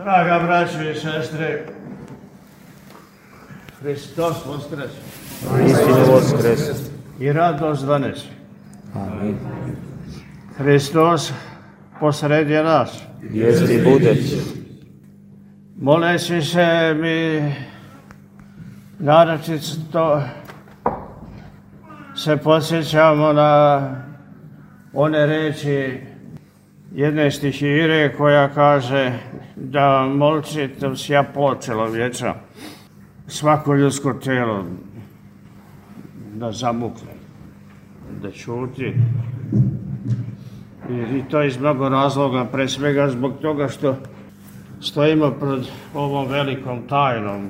Draga braćo i sestre, Hristos voskres. Istinu voskres. I radost donesi. Amin. Hristos posredi nas. Jest i bude. Moleći se mi naročito se podsjećamo na one reči jedne stihire koja kaže da molčite sja počelo vječa svako ljudsko tijelo da zamukne, da čuti. I to iz mnogo razloga, pre svega zbog toga što stojimo pred ovom velikom tajnom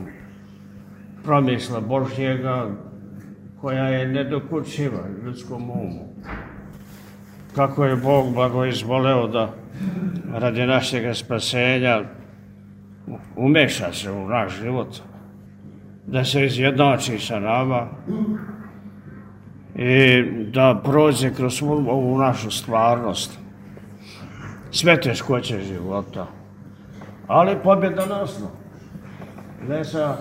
promisla Božjega koja je nedokučiva ljudskom umu. Kako je Bog blagoizvoleo da radi našeg spasenja umeša se u naš život, da se izjednači sa nama i da prođe kroz ovu našu stvarnost, sve teškoće života, ali pobjedonosno, ne sa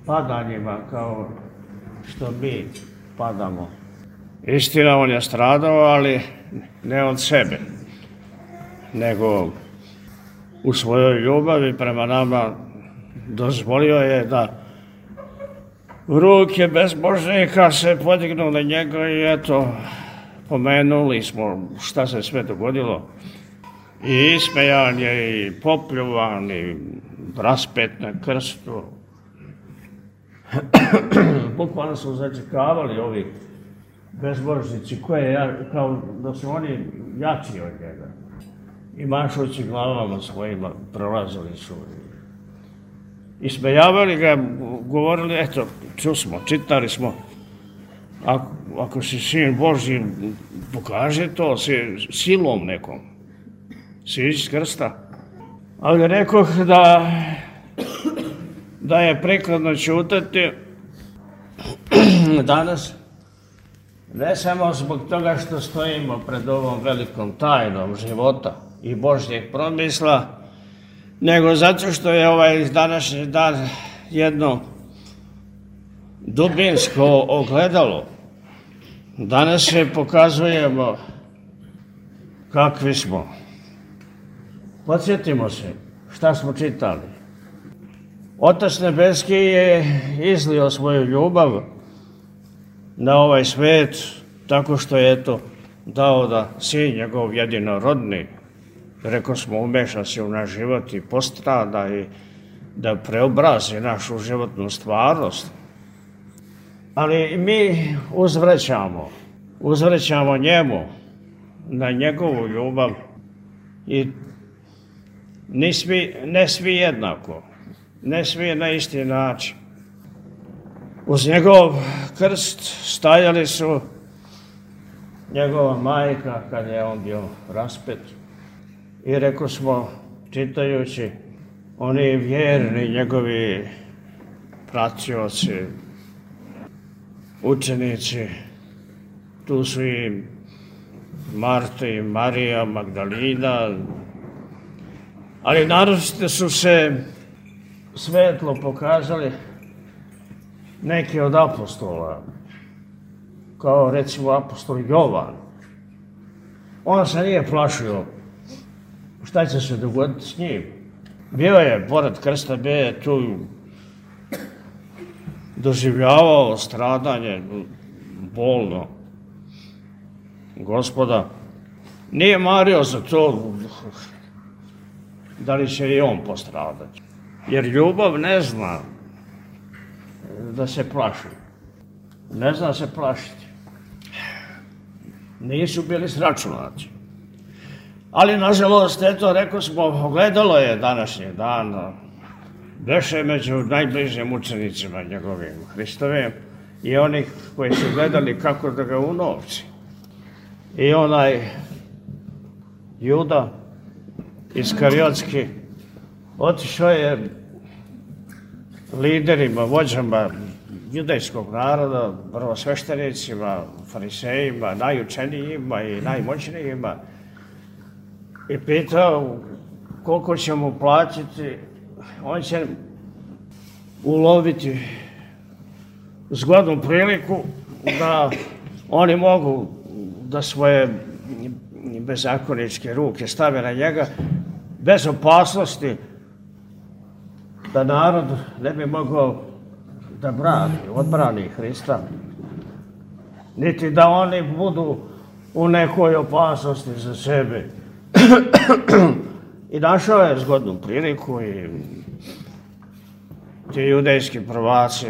padanjima kao što mi padamo. Istina, on je stradao, ali ne od sebe, nego u svojoj ljubavi prema nama dozvolio je da ruke bezbožnika se podignu na njega i eto, pomenuli smo šta se sve dogodilo. I ismejan je, i popljuvan, i raspet na krstu. Bukvalno su začekavali ovi bezbožnici kao da su oni jači od njega. I mašući glavama svojima prolazili su. Ismejavali ga, govorili, eto, čusmo, čitali smo, ako si sin Božji, pokaže to silom nekom, siđi s krsta. Ali rekoh da je prikladno ćutati danas, ne samo zbog toga što stojimo pred ovom velikom tajnom života i Božjeg promisla, nego zato što je ovaj današnji dan jedno dubinsko ogledalo. Danas se pokazujemo kakvi smo. Podsjetimo se šta smo čitali. Otac Nebeski je izlio svoju ljubav na ovaj svet tako što je eto dao da sin njegov jedinorodni, rekao smo, umeša se u naš život i postrada i da preobrazi našu životnu stvarnost. Ali mi uzvraćamo njemu na njegovu ljubav i ne svi jednako, ne svi na isti način. Uz njegov krst stajali su njegova majka kad je on bio raspet. I rekao smo, čitajući, oni vjerni njegovi pratioci, učenici, tu su i Marta i Marija Magdalina, ali naročito su se svetlo pokazali neki od apostola, kao recimo apostol Jovan. On se nije plašio šta će se dogoditi s njim. Bio je, pored krsta, bio je tu doživljavao stradanje bolno Gospoda. Nije mario za to da li će i on postradati. Jer ljubav ne zna da se plaši. Ne zna se plašiti. Nisu bili sračunati. Ali, nažalost, eto, rekao smo, ogledalo je današnji dan. Beše među najbližim učenicima njegovim, Hristovim, i onih koji su gledali kako da ga unovči. I onaj Juda Iskariotski otišao je liderima, vođama judejskog naroda, prvosveštenicima, farisejima, najučenijima i najmoćnijima i pitao koliko će mu platiti, on će uloviti zgodnu priliku da oni mogu da svoje bezakoničke ruke stave na njega bez opasnosti da narod ne bi mogao da odbrani Hrista, niti da oni budu u nekoj opasnosti za sebe. I našao je zgodnu priliku i ti judejski prvaci,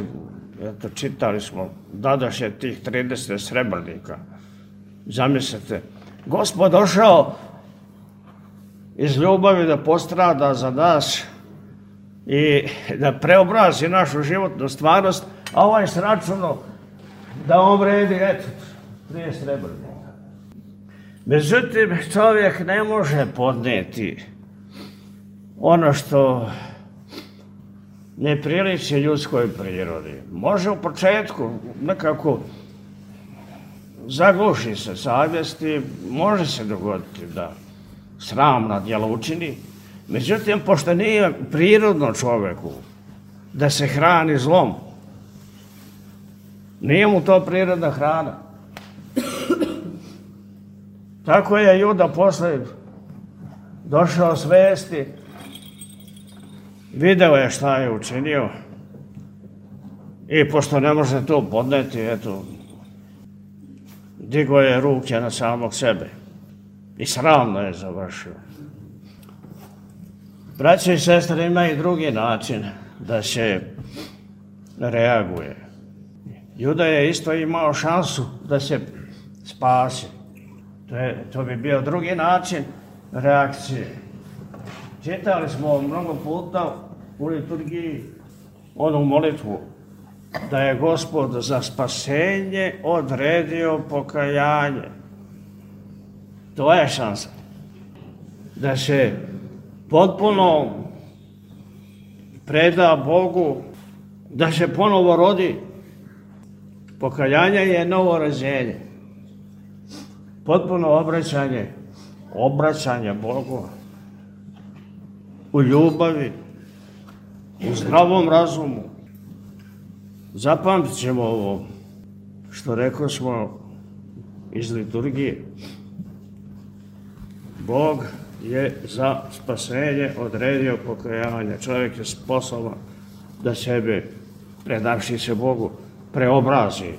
eto, čitali smo, dadoše tih 30 srebrnika. Zamislite, Gospod došao iz ljubavi da postrada za nas i da preobrazi našu životnu stvarnost, a ovaj s računom da on vredi, eto, 30 srebrnika. Međutim, čovjek ne može podnijeti ono što ne priliči ljudskoj prirodi. Može u početku nekako zagluši se savjest i može se dogoditi da sramna djela učini. Međutim, pošto nije prirodno čovjeku da se hrani zlom, nije mu to prirodna hrana. Tako je Juda posle došao svesti, video je šta je učinio i pošto ne može to podneti, eto, digao je ruke na samog sebe i sramno je završio. Braće i sestre, ima i drugi način da se reaguje. Juda je isto imao šansu da se spasi. To bi bio drugi način reakcije. Čitali smo mnogo puta u liturgiji onu molitvu da je Gospod za spasenje odredio pokajanje. To je šansa. Da se potpuno preda Bogu, da se ponovo rodi. Pokajanje je novo rođenje. Potpuno obraćanje Bogu u ljubavi, u zdravom razumu. Zapamtit ćemo ovo što rekao smo iz liturgije. Bog je za spasenje odredio pokajanje. Čovjek je sposoban da sebe, predavši se Bogu, preobrazi,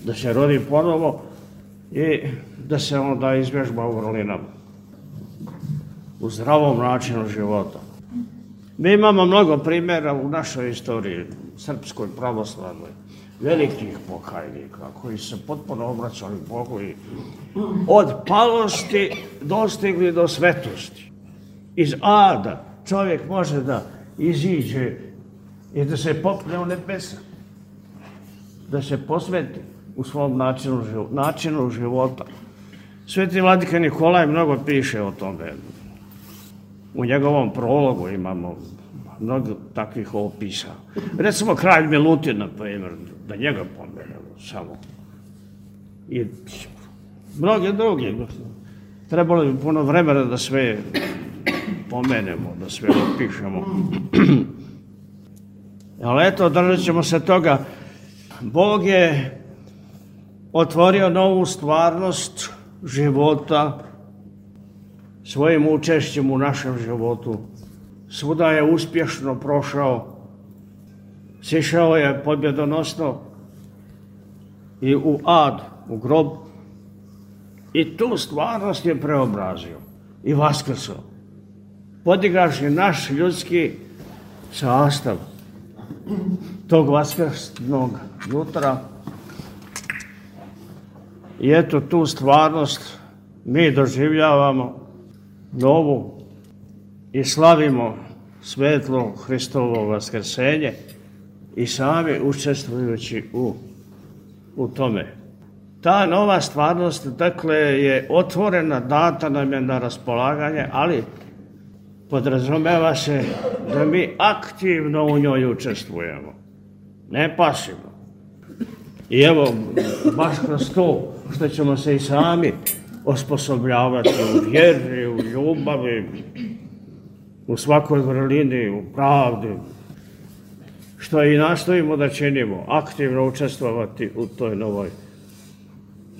da se rodi ponovo i da se onda izvježba u vrlinama, u zdravom načinu života. Mi imamo mnogo primjera u našoj istoriji, srpskoj, pravoslavnoj, velikih pokajnika koji se potpuno obraćali Bogu i od palosti dostigli do svetosti. Iz ada čovjek može da iziđe i da se popne u nebesa, da se posveti u svom načinu života. Sveti vladika Nikolaj mnogo piše o tome. U njegovom prologu imamo mnogo takvih opisa. Recimo kralj Milutin, na primjer, da njega pomenemo samo. I mnogi drugi. Trebalo bi puno vremena da sve pomenemo, da sve opišemo. Ali eto, držat ćemo se toga. Bog je otvorio novu stvarnost života svojim učešćem u našem životu. Svuda je uspješno prošao, sišao je pobjedonosno i u ad, u grob, i tu stvarnost je preobrazio i vaskrsao, podigavši naš ljudski sastav tog vaskrsnog jutra. I eto, tu stvarnost mi doživljavamo novu i slavimo svetlo Hristovo vaskrsenje i sami učestvujući u tome. Ta nova stvarnost, dakle, je otvorena, data nam je na raspolaganje, ali podrazumeva se da mi aktivno u njoj učestvujemo, ne pasivno. I evo, baš kroz to što ćemo se i sami osposobljavati u vjeri, u ljubavi, u svakoj vrlini, u pravdi, što i nastojimo da činimo, aktivno učestvovati u toj novoj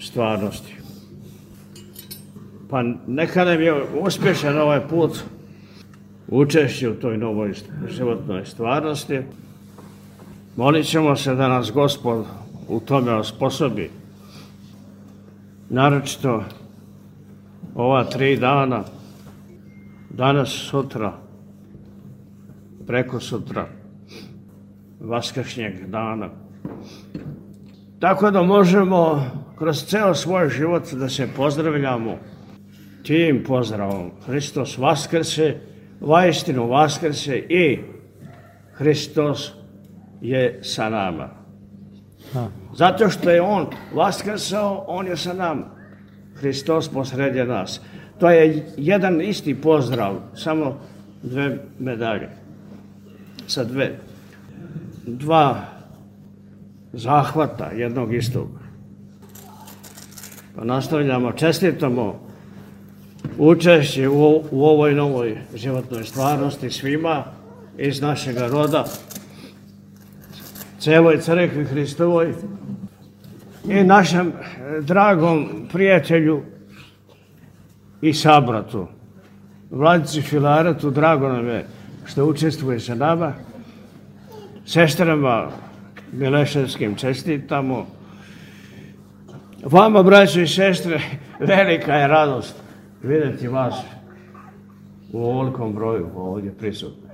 stvarnosti. Pa neka nam je uspješan ovaj put učešće u toj novoj životnoj stvarnosti. Molit ćemo se da nas Gospod u tome osposobi. Naročito ova 3 dana, danas, sutra, preko sutra, vaskršnjeg dana. Tako da možemo kroz ceo svoj život da se pozdravljamo tim pozdravom. Hristos vaskrse, vaistinu vaskrse i Hristos je sa nama. Zato što je On vaskrsao, On je sa nama. Hristos posredje nas. To je jedan isti pozdrav, samo 2 medalje. Sa 2 zahvata jednog istog. Pa nastavljamo, čestitamo učešće u ovoj novoj životnoj stvarnosti svima iz našega roda, celoj crkvi Hristovoj i našem dragom prijatelju i sabratu, Vladici Filaretu. Drago nam je što učestvuje sa nama. Sestrama Mileševskim čestitamo. Vama, braćo i sestre, velika je radost vidjeti vas u ovolikom broju ovdje prisutni.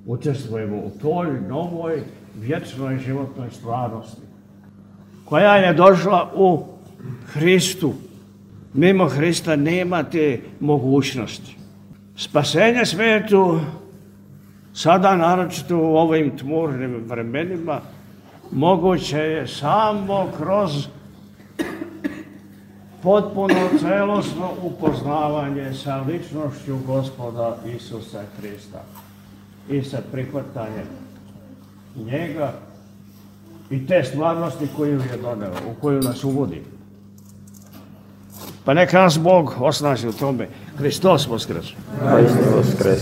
Učestvujemo u toj novoj vječnoj životnoj stvarnosti koja je došla u Hristu. Mimo Hrista nema te mogućnosti. Spasenje svijetu, sada naročito u ovim tmurnim vremenima, moguće je samo kroz potpuno celosno upoznavanje sa ličnošću Gospoda Isusa Hrista i sa prihvatanjem njega i te stvarnosti koju je doneo, u koju nas uvodi. Pa neka nas Bog osnaži u tome. Hristos voskres. Hristos voskres.